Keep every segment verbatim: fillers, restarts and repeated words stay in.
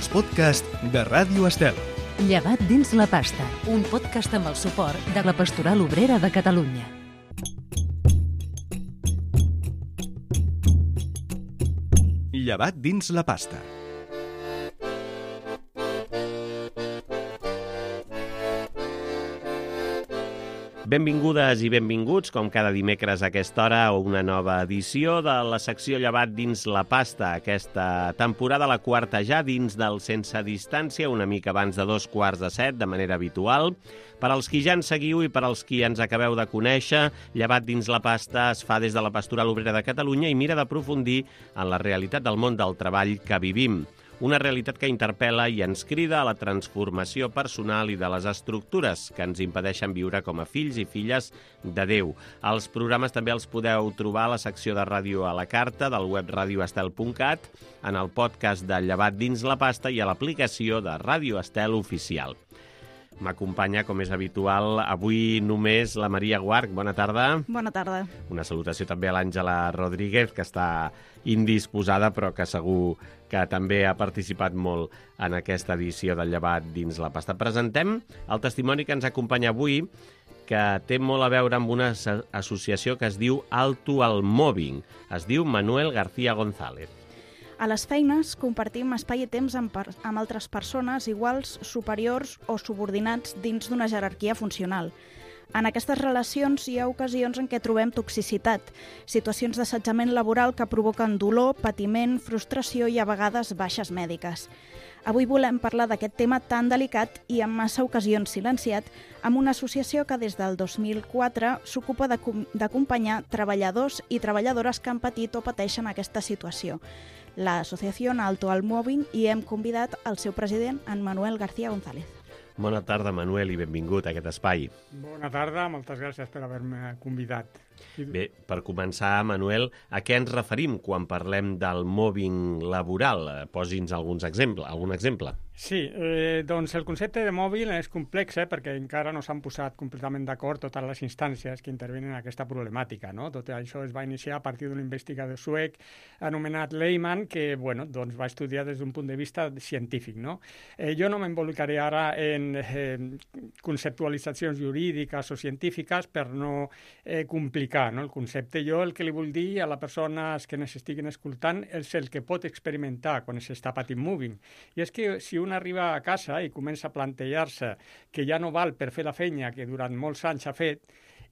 els podcasts de Ràdio Estel. Llevat dins la pasta, un podcast amb el suport de la Pastoral Obrera de Catalunya. Llevat dins la pasta. Benvingudes i benvinguts, com cada dimecres a aquesta hora, a una nova edició de la secció Llevat dins la pasta. Aquesta temporada, la quarta ja, dins del Sense Distància, una mica abans de dos quarts de set, de manera habitual. Per als qui ja ens seguiu i per als qui ens acabeu de conèixer, Llevat dins la pasta es fa des de la Pastoral Obrera de Catalunya i mira d'aprofundir en la realitat del món del treball que vivim. Una realitat que interpel·la i ens crida a la transformació personal i de les estructures que ens impedeixen viure com a fills i filles de Déu. Els programes també els podeu trobar a la secció de ràdio a la carta del web radio estel punt cat, en el podcast de Llevat dins la pasta i a l'aplicació de Ràdio Estel Oficial. M'acompanya, com és habitual, avui només la Maria Guarch. Bona tarda. Bona tarda. Una salutació també a l'Àngela Rodríguez, que està indisposada, però que segur que també ha participat molt en aquesta edició del Llevat dins la pasta. Presentem el testimoni que ens acompanya avui, que té molt a veure amb una associació que es diu Alto al Mobbing. Es diu Manuel García González. A les feines compartim espai i temps amb, per, amb altres persones iguals, superiors o subordinats dins d'una jerarquia funcional. En aquestes relacions hi ha ocasions en què trobem toxicitat, situacions d'assetjament laboral que provoquen dolor, patiment, frustració i a vegades baixes mèdiques. Avui volem parlar d'aquest tema tan delicat i en massa ocasions silenciat amb una associació que des del dos mil quatre s'ocupa d'acompanyar treballadors i treballadores que han patit o pateixen aquesta situació. L'Associació Alto al Mobbing, i hem convidat el seu president, en Manuel García González. Bona tarda, Manuel, i benvingut a aquest espai. Bona tarda, moltes gràcies per haver-me convidat. Bé, per començar, Manuel, a què ens referim quan parlem del mobbing laboral? Posi'ns alguns exemple, algun exemple. Sí, eh, doncs el concepte de mòbil és complex, eh, perquè encara no s'han posat completament d'acord totes les instàncies que intervenen en aquesta problemàtica, no? Tot això es va iniciar a partir d'un investigador suec anomenat Lehmann, que bueno, doncs va estudiar des d'un punt de vista científic, no? Eh, jo no m'involucraré ara en eh, conceptualitzacions jurídiques o científiques per no eh, complicar, no, el concepte. Jo el que li vull dir a les persones que ens estiguin escoltant és el que pot experimentar quan s'està patint mobbing. I és que si un arriba a casa i comença a plantejar-se que ja no val per fer la feina que durant molts anys ha fet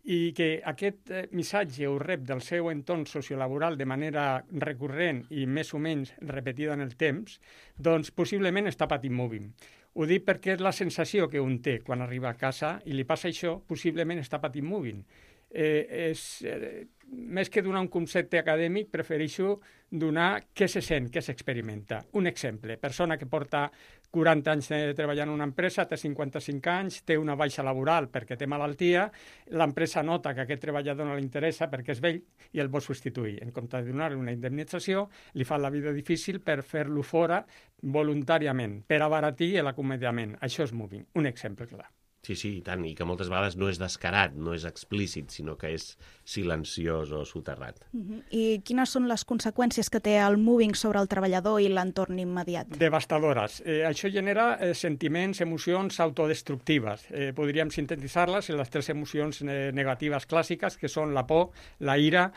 i que aquest missatge ho rep del seu entorn sociolaboral de manera recurrent i més o menys repetida en el temps, doncs possiblement està patint mobbing. Ho dic perquè és la sensació que un té quan arriba a casa i li passa això, possiblement està patint mobbing. Eh, és, eh, més que donar un concepte acadèmic, prefereixo donar què se sent, què s'experimenta. Un exemple, persona que porta quaranta anys treballant en una empresa, té cinquanta-cinc anys, té una baixa laboral perquè té malaltia, l'empresa nota que aquest treballador no li interessa perquè és vell i el vol substituir. En comptes de donar-li una indemnització, li fa la vida difícil per fer-lo fora voluntàriament, per abaratir l'acomiadament. Això és mobbing, un exemple clar. Sí, sí, i tant, i que moltes vegades no és descarat, no és explícit, sinó que és silenciós o soterrat. Uh-huh. I quines són les conseqüències que té el mobbing sobre el treballador i l'entorn immediat? Devastadores. Eh, això genera eh, sentiments, emocions autodestructives. Eh, podríem sintetitzar-les en les tres emocions eh, negatives clàssiques, que són la por, la ira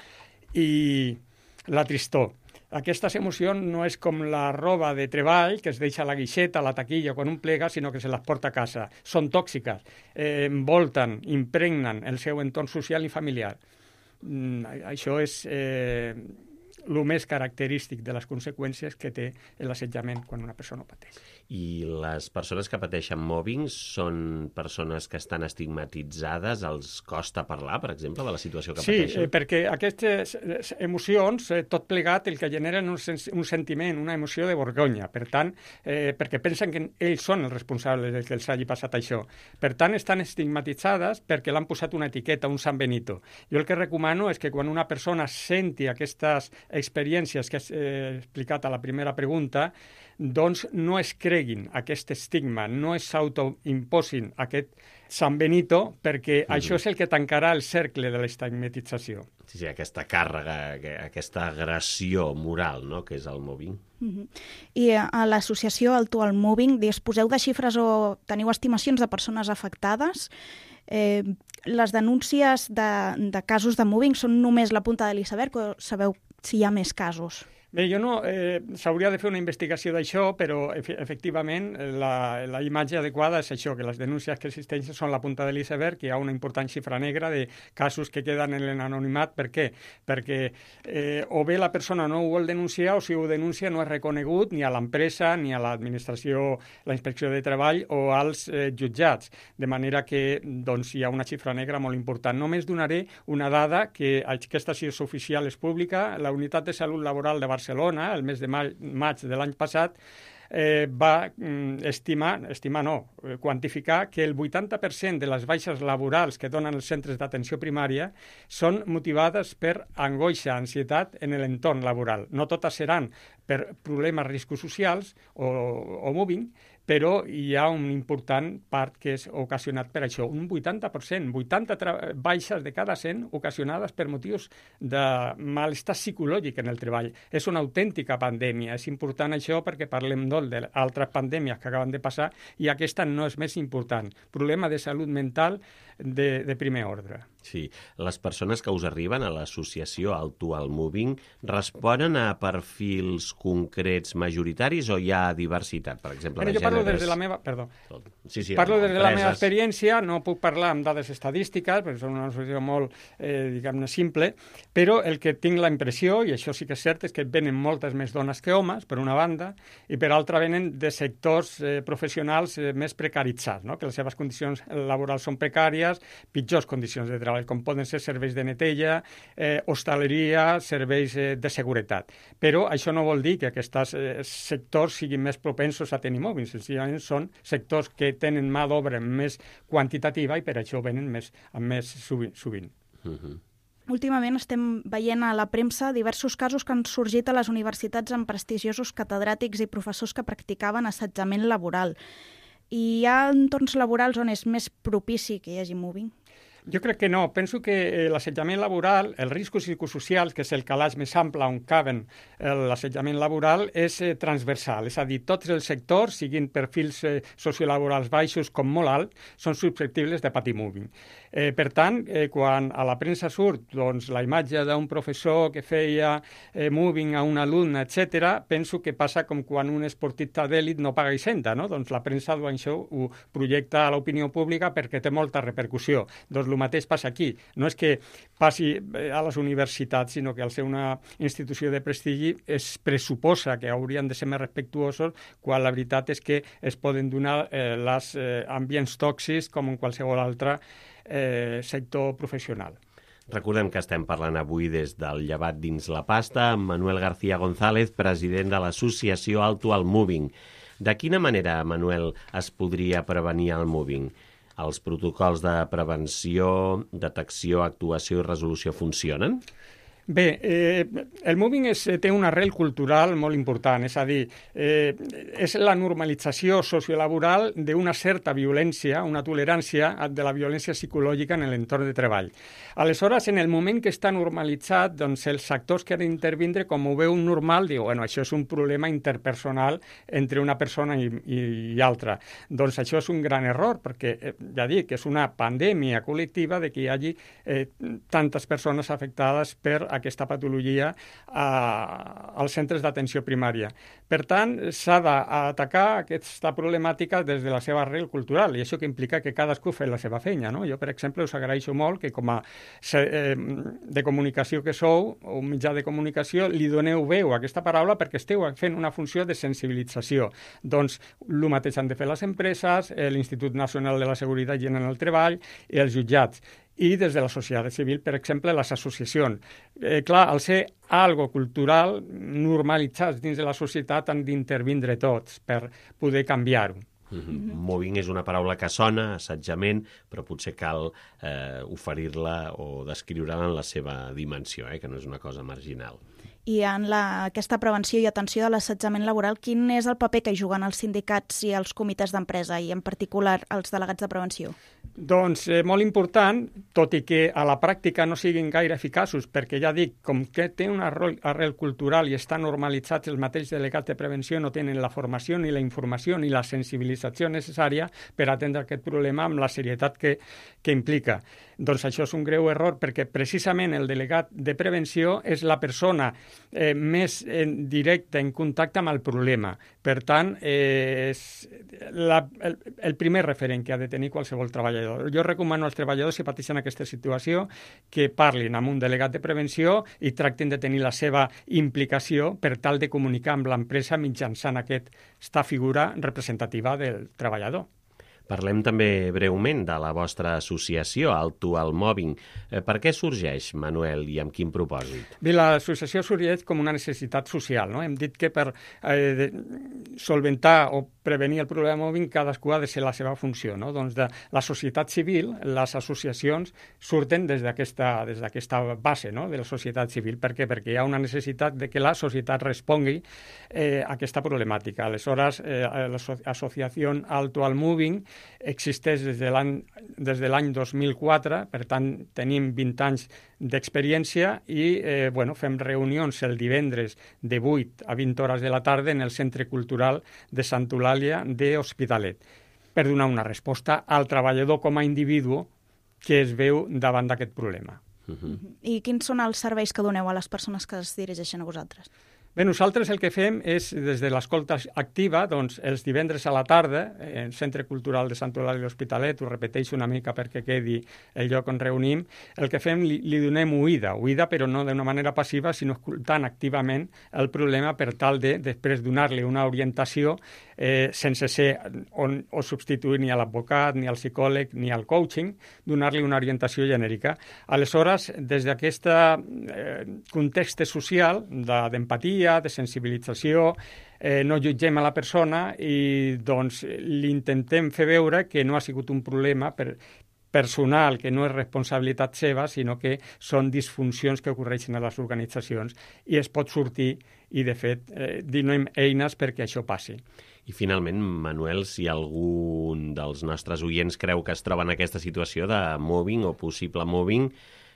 i la tristor. Aquestes emocions no és com la roba de treball que es deixa a la guixeta, a la taquilla, quan un plega, sinó que se les porta a casa. Són tòxiques, eh, envolten, impregnen el seu entorn social i familiar. Mm, això és eh, el més característic de les conseqüències que té l'assetjament quan una persona ho pateix. I les persones que pateixen mobbing són persones que estan estigmatitzades, els costa parlar, per exemple, de la situació que sí, pateixen? Sí, eh, perquè aquestes emocions, eh, tot plegat, el que generen un, sen un sentiment, una emoció de vergonya. Per tant, eh, perquè pensen que ells són els responsables del que els hagi passat això. Per tant, estan estigmatitzades perquè l'han posat una etiqueta, un San Benito. Jo el que recomano és que quan una persona senti aquestes experiències que he explicat a la primera pregunta, doncs no es creguin aquest estigma, no es s'autoimposin aquest San Benito, perquè mm. això és el que tancarà el cercle de l'estigmatització. Sí, sí, aquesta càrrega, aquesta agressió moral, no?, que és el mobbing. Mm-hmm. I a l'associació Alto al Mobbing disposeu de xifres o teniu estimacions de persones afectades? Eh, les denúncies de, de casos de mobbing són només la punta de l'iceberg o sabeu si hi ha més casos? Bé, jo no... Eh, s'hauria de fer una investigació d'això, però efe, efectivament la, la imatge adequada és això, que les denúncies que existeixen són la punta de l'iceberg, que hi ha una important xifra negra de casos que queden en l'anonimat. Per què? Perquè eh, o bé la persona no ho vol denunciar o si ho denuncia no és reconegut ni a l'empresa ni a l'administració, la inspecció de treball o als eh, jutjats. De manera que doncs, hi ha una xifra negra molt important. Només donaré una dada que aquesta si és oficial, és pública. La Unitat de Salut Laboral de Barcelona Barcelona, el mes de maig de l'any passat, eh, va mm, estimar, estimar no, quantificar que el vuitanta per cent de les baixes laborals que donen els centres d'atenció primària són motivades per angoixa, ansietat en l'entorn laboral. No totes seran per problemes, riscos socials o, o mobbing, però hi ha una important part que és ocasionat per això. Un vuitanta per cent, vuitanta baixes de cada cent ocasionades per motius de malestar psicològic en el treball. És una autèntica pandèmia. És important això perquè parlem molt d'altres pandèmies que acaben de passar i aquesta no és més important. Problema de salut mental de, de primer ordre. Sí. Les persones que us arriben a l'associació Alto al Mobbing responen a perfils concrets majoritaris o hi ha diversitat? Per exemple, Però de jo parlo gèneres... des de la meva... Perdó. Sí, sí, parlo des de la empreses... meva experiència, no puc parlar amb dades estadístiques, perquè són una associació molt, eh, diguem-ne, simple, però el que tinc la impressió, i això sí que és cert, és que venen moltes més dones que homes, per una banda, i per altra venen de sectors eh, professionals eh, més precaritzats, no? Que les seves condicions laborals són precàries, pitjors condicions de treball, com poden ser serveis de neteja, eh, hostaleria, serveis eh, de seguretat. Però això no vol dir que aquests eh, sectors siguin més propensos a tenir mobbing, senzillament són sectors que tenen mà d'obra més quantitativa i per això venen més, més sovint. sovint. Uh-huh. Últimament estem veient a la premsa diversos casos que han sorgit a les universitats amb prestigiosos catedràtics i professors que practicaven assetjament laboral. I hi ha entorns laborals on és més propici que hi hagi mobbing? Jo crec que no. Penso que l'assetjament laboral, els riscos psicosocials, que és el calaix més ample on caben l'assetjament laboral, és eh, transversal. És a dir, tots els sectors, siguin perfils eh, sociolaborals baixos com molt alts, són susceptibles de patir mobbing. Eh, per tant, eh, quan a la premsa surt doncs, la imatge d'un professor que feia eh, mobbing a un alumne, etcètera, penso que passa com quan un esportista d'èlit no paga hisenda, no? Doncs la premsa això ho projecta a l'opinió pública perquè té molta repercussió. Doncs el mateix passa aquí. No és que passi a les universitats, sinó que al ser una institució de prestigi es pressuposa que haurien de ser més respectuosos quan la veritat és que es poden donar eh, els eh, ambients tòxics com en qualsevol altre eh, sector professional. Recordem que estem parlant avui des del Llevat dins la pasta amb Manuel García González, president de l'associació Alto al Mobbing. De quina manera, Manuel, es podria prevenir el mobbing? Els protocols de prevenció, detecció, actuació i resolució funcionen? Bé, eh, el mobbing és, té una arrel cultural molt important, és a dir, eh, és la normalització sociolaboral d'una certa violència, una tolerància de la violència psicològica en l'entorn de treball. Aleshores, en el moment que està normalitzat, doncs els actors que han d'intervindre, com ho veu un normal, diu, bueno, això és un problema interpersonal entre una persona i, i, i altra. Doncs això és un gran error, perquè, eh, ja dic, és una pandèmia col·lectiva de que hi hagi eh, tantes persones afectades per aquesta patologia a, als centres d'atenció primària. Per tant, s'ha d'atacar aquesta problemàtica des de la seva arrel cultural, i això que implica que cadascú fa la seva feina, no? Jo, per exemple, us agraeixo molt que com a eh, de comunicació que sou, o un mitjà de comunicació, li doneu veu a aquesta paraula perquè esteu fent una funció de sensibilització. Doncs el mateix han de fer les empreses, l'Institut Nacional de la Seguretat i en el Treball i els jutjats. I des de la societat civil, per exemple, les associacions. Eh, clar, al ser algo cultural, normalitzats dins de la societat, han d'intervindre tots per poder canviar-ho. Mm-hmm. Mobbing és una paraula que sona, assetjament, però potser cal eh, oferir-la o descriure-la en la seva dimensió, eh, que no és una cosa marginal. i en la, aquesta prevenció i atenció de l'assetjament laboral, quin és el paper que hi juguen els sindicats i els comitès d'empresa i en particular els delegats de prevenció? Doncs eh, molt important, tot i que a la pràctica no siguin gaire eficaços, perquè ja dic, com que té una arrel cultural i estan normalitzats els mateixos delegats de prevenció, no tenen la formació ni la informació ni la sensibilització necessària per atendre aquest problema amb la serietat que, que implica. Doncs això és un greu error perquè precisament el delegat de prevenció és la persona eh, més en directe en contacte amb el problema. Per tant, eh, és la, el, el primer referent que ha de tenir qualsevol treballador. Jo recomano als treballadors que pateixen aquesta situació que parlin amb un delegat de prevenció i tractin de tenir la seva implicació per tal de comunicar amb l'empresa mitjançant aquesta figura representativa del treballador. Parlem també breument de la vostra associació, Alto al Mobbing. Eh, per què sorgeix, Manuel, i amb quin propòsit? Bé, l'associació sorgeix com una necessitat social, no? Hem dit que per eh, solventar o prevenir el problema mobbing cadascú ha de ser la seva funció, no? Doncs de la societat civil, les associacions surten des d'aquesta des d'aquesta base, no? De la societat civil. Per què? Perquè hi ha una necessitat de que la societat respongui eh, a aquesta problemàtica. Aleshores, eh, l'associació Alto al Mobbing existeix des de l'any des de l'any dos mil quatre, per tant tenim vint anys d'experiència i eh, bueno, fem reunions el divendres de vuit a vint hores de la tarda en el Centre Cultural de Santa Eulàlia de Hospitalet per donar una resposta al treballador com a individu que es veu davant d'aquest problema. Uh-huh. I quins són els serveis que doneu a les persones que es dirigeixen a vosaltres? Bé, nosaltres el que fem és, des de l'escolta activa, doncs, els divendres a la tarda, en el Centre Cultural de Sant Eulàlia de l'Hospitalet, ho repeteixo una mica perquè quedi el lloc on reunim, el que fem, li, li donem oïda, oïda però no d'una manera passiva, sinó escoltant activament el problema per tal de, després, donar-li una orientació eh, sense ser on, o substituir ni a l'advocat, ni al psicòleg, ni al coaching, donar-li una orientació genèrica. Aleshores, des d'aquest eh, context social d'empatia, de sensibilització, eh, no jutgem a la persona i doncs li intentem fer veure que no ha sigut un problema per, personal, que no és responsabilitat seva, sinó que són disfuncions que ocorreixen a les organitzacions i es pot sortir i, de fet, eh, donem eines perquè això passi. I finalment, Manuel, si algun dels nostres oients creu que es troba en aquesta situació de mobbing o possible mobbing,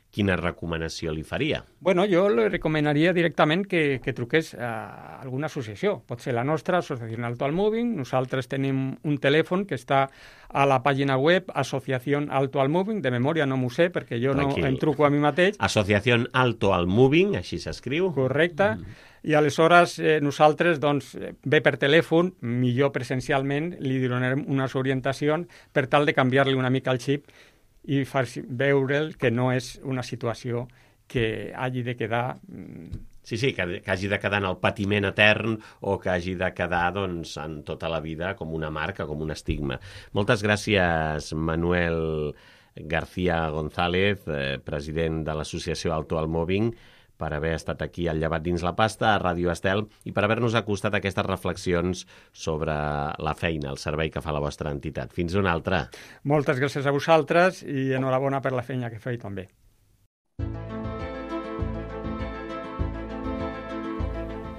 quina recomanació li faria? Bueno, jo li recomanaria directament que, que truqués a alguna associació. Pot ser la nostra, Associació Alto al Mobbing. Nosaltres tenim un telèfon que està a la pàgina web Associació Alto al Mobbing. De memòria no m'ho sé, perquè jo Tranquil. no em truco a mi mateix. Associació Alto al Mobbing, així s'escriu. Correcte. Mm. I aleshores eh, nosaltres, doncs, bé per telèfon, millor presencialment, li donarem unes orientacions per tal de canviar-li una mica el xip i fer veure'l que no és una situació que hagi de quedar... Sí, sí, que, que hagi de quedar en el patiment etern o que hagi de quedar doncs, en tota la vida com una marca, com un estigma. Moltes gràcies, Manuel García González, eh, president de l'Associació Alto al Mobbing, per haver estat aquí al Llevat dins la pasta, a Ràdio Estel, i per haver-nos acostat a aquestes reflexions sobre la feina, el servei que fa la vostra entitat. Fins una altra. Moltes gràcies a vosaltres i enhorabona per la feina que feu també.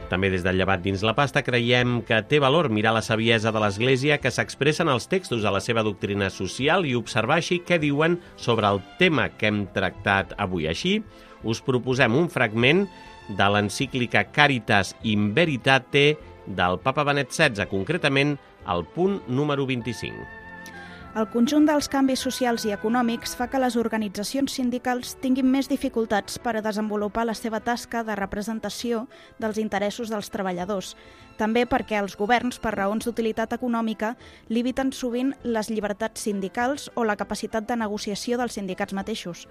També des del Llevat dins la pasta creiem que té valor mirar la saviesa de l'Església que s'expressa en els textos de la seva doctrina social i observar així què diuen sobre el tema que hem tractat avui. Així, us proposem un fragment de l'encíclica Caritas in Veritate del Papa Benet setze, concretament el punt número vint-i-cinc. El conjunt dels canvis socials i econòmics fa que les organitzacions sindicals tinguin més dificultats per a desenvolupar la seva tasca de representació dels interessos dels treballadors. També perquè els governs, per raons d'utilitat econòmica, limiten sovint les llibertats sindicals o la capacitat de negociació dels sindicats mateixos.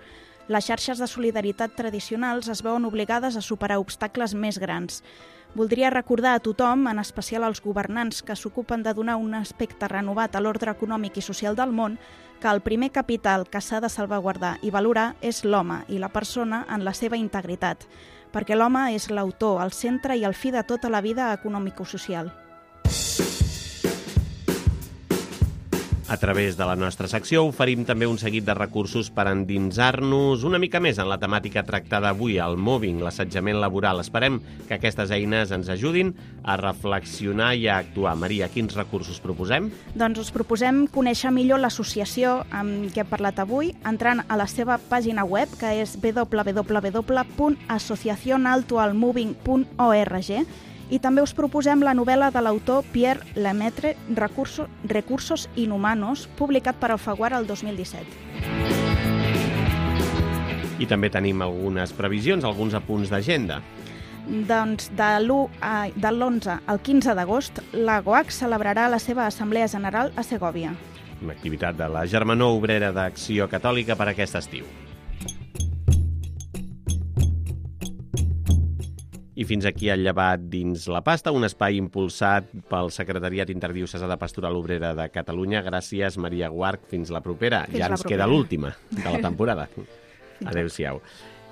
Les xarxes de solidaritat tradicionals es veuen obligades a superar obstacles més grans. Voldria recordar a tothom, en especial als governants que s'ocupen de donar un aspecte renovat a l'ordre econòmic i social del món, que el primer capital que s'ha de salvaguardar i valorar és l'home i la persona en la seva integritat, perquè l'home és l'autor, el centre i el fi de tota la vida econòmico-social. A través de la nostra secció oferim també un seguit de recursos per endinsar-nos una mica més en la temàtica tractada avui, el mobbing, l'assetjament laboral. Esperem que aquestes eines ens ajudin a reflexionar i a actuar. Maria, quins recursos proposem? Doncs us proposem conèixer millor l'associació amb què hem parlat avui, entrant a la seva pàgina web, que és w w w punt asociación alto al mobbing punt org, i també us proposem la novel·la de l'autor Pierre Lemaitre, Recursos, Recursos Inhumanos, publicat per Alfaguara el dos mil disset. I també tenim algunes previsions, alguns apunts d'agenda. Doncs de l'onze al quinze d'agost, la G O A C celebrarà la seva Assemblea General a Segòvia. Una activitat de la Germanor Obrera d'Acció Catòlica per aquest estiu. I fins aquí el llevat dins la pasta, un espai impulsat pel Secretariat Interdiocesà de Pastoral Obrera de Catalunya. Gràcies, Maria Guarch. Fins la propera. Fins ja la ens propera. queda l'última de la temporada. Adéu-siau.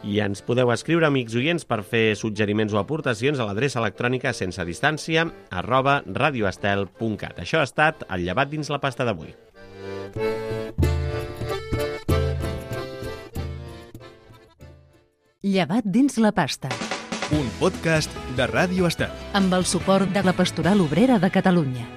I ens podeu escriure, amics oients, per fer suggeriments o aportacions a l'adreça electrònica sense distància arroba radioestel punt cat. Això ha estat el llevat dins la pasta d'avui. Llevat dins la pasta, Un podcast de Ràdio Estel. amb el suport de la Pastoral Obrera de Catalunya.